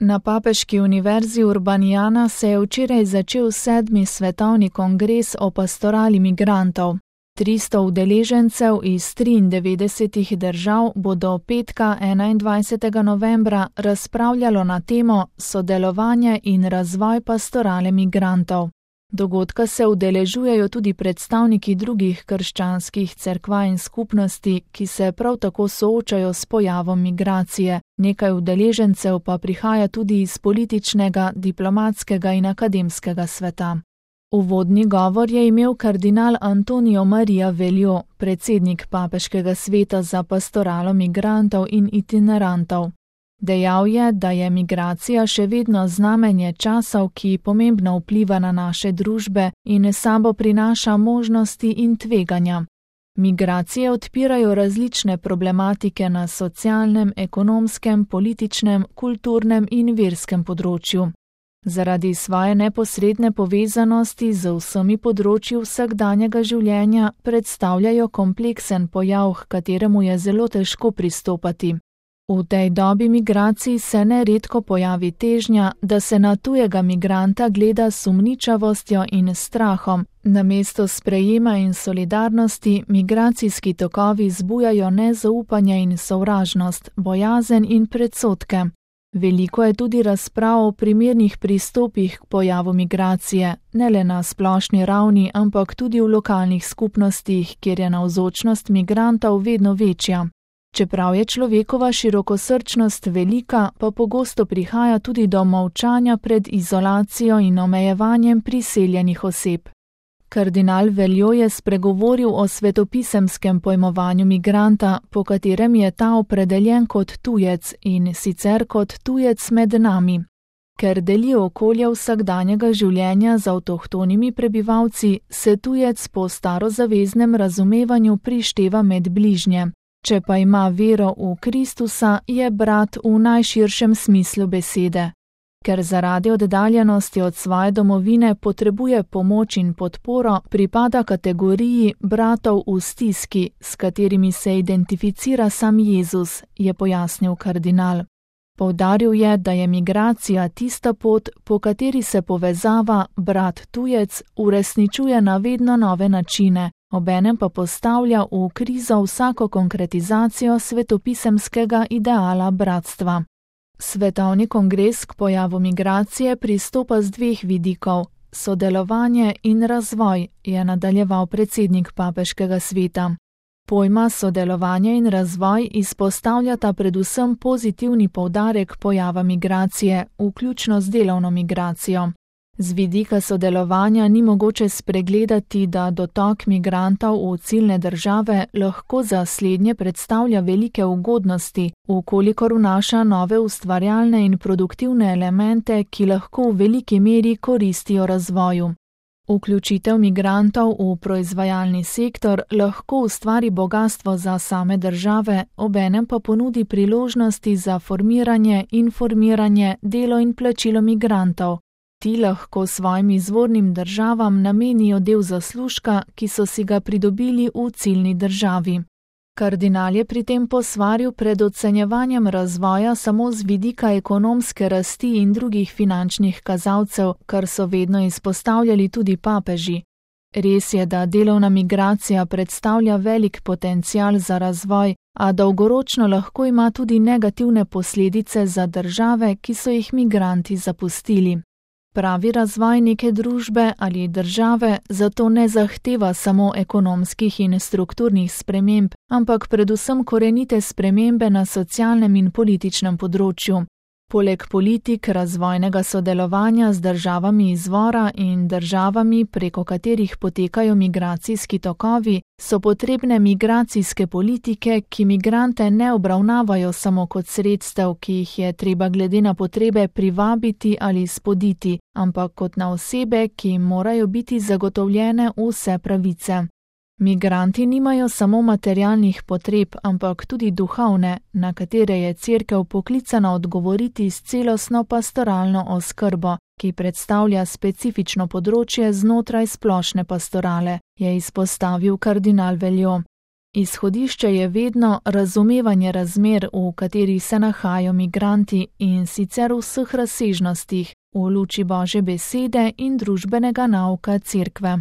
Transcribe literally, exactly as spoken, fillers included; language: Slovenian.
Na Papeški univerzi Urbaniana se je včeraj začel sedmi svetovni kongres o pastorali migrantov. tristo udeležencev iz triindevetdesetih držav bo do petka enaindvajsetega novembra razpravljalo na temo Sodelovanje in razvoj pastorale migrantov. Dogodka se udeležujejo tudi predstavniki drugih krščanskih cerkva in skupnosti, ki se prav tako soočajo s pojavom migracije. Nekaj udeležencev pa prihaja tudi iz političnega, diplomatskega in akademskega sveta. Uvodni govor je imel kardinal Antonio Maria Veljo, predsednik Papeškega sveta za pastoralo migrantov in itinerantov. Dejal je, da je migracija še vedno znamenje časov, ki pomembno vpliva na naše družbe in s sabo prinaša možnosti in tveganja. Migracije odpirajo različne problematike na socialnem, ekonomskem, političnem, kulturnem in verskem področju. Zaradi svoje neposredne povezanosti z vsemi področji vsakdanjega življenja predstavljajo kompleksen pojav, h kateremu je zelo težko pristopati. V tej dobi migracij se neredko pojavi težnja, da se na tujega migranta gleda s sumničavostjo in strahom. Namesto sprejema in solidarnosti migracijski tokovi zbujajo nezaupanje in sovražnost, bojazen in predsodke. Veliko je tudi razprav o primernih pristopih k pojavu migracije, ne le na splošni ravni, ampak tudi v lokalnih skupnostih, kjer je navzočnost migrantov vedno večja. Čeprav je človekova širokosrčnost velika, pa pogosto prihaja tudi do molčanja pred izolacijo in omejevanjem priseljenih oseb. Kardinal Veljo je spregovoril o svetopisemskem pojmovanju migranta, po katerem je ta opredeljen kot tujec in sicer kot tujec med nami. Ker deli okolje vsakdanjega življenja z avtohtonimi prebivalci, se tujec po starozaveznem razumevanju prišteva med bližnje. Če pa ima vero v Kristusa, je brat v najširšem smislu besede. Ker zaradi oddaljenosti od svoje domovine potrebuje pomoč in podporo, pripada kategoriji bratov v stiski, s katerimi se identificira sam Jezus, je pojasnil kardinal. Poudaril je, da je migracija tista pot, po kateri se povezava brat-tujec uresničuje na vedno nove načine, obenem pa postavlja v krizo vsako konkretizacijo svetopisemskega ideala bratstva. Svetovni kongres k pojavu migracije pristopa z dveh vidikov, sodelovanje in razvoj, je nadaljeval predsednik Papeškega sveta. Pojma sodelovanje in razvoj izpostavljata predvsem pozitivni poudarek pojava migracije, vključno z delovno migracijo. Z vidika sodelovanja ni mogoče spregledati, da dotok migrantov v ciljne države lahko za slednje predstavlja velike ugodnosti, vkolikor vnaša nove ustvarjalne in produktivne elemente, ki lahko v veliki meri koristijo razvoju. Vključitev migrantov v proizvajalni sektor lahko ustvari bogastvo za same države, obenem pa ponudi priložnosti za formiranje, informiranje, delo in plačilo migrantov. Ti lahko svojim izvornim državam namenijo del zaslužka, ki so si ga pridobili v ciljni državi. Kardinal je pri tem posvaril pred ocenjevanjem razvoja samo z vidika ekonomske rasti in drugih finančnih kazalcev, kar so vedno izpostavljali tudi papeži. Res je, da delovna migracija predstavlja velik potencial za razvoj, a dolgoročno lahko ima tudi negativne posledice za države, ki so jih migranti zapustili. Pravi razvoj neke družbe ali države zato ne zahteva samo ekonomskih in strukturnih sprememb, ampak predvsem korenite spremembe na socialnem in političnem področju. Poleg politik razvojnega sodelovanja z državami izvora in državami, preko katerih potekajo migracijski tokovi, so potrebne migracijske politike, ki migrante ne obravnavajo samo kot sredstev, ki jih je treba glede na potrebe privabiti ali spoditi, ampak kot na osebe, ki jim morajo biti zagotovljene vse pravice. Migranti nimajo samo materialnih potreb, ampak tudi duhovne, na katere je Cerkev poklicana odgovoriti s celostno pastoralno oskrbo, ki predstavlja specifično področje znotraj splošne pastorale, je izpostavil kardinal Veljo. Izhodišče je vedno razumevanje razmer, v katerih se nahajajo migranti, in sicer v vseh razsežnostih, v luči Božje besede in družbenega nauka Cerkve.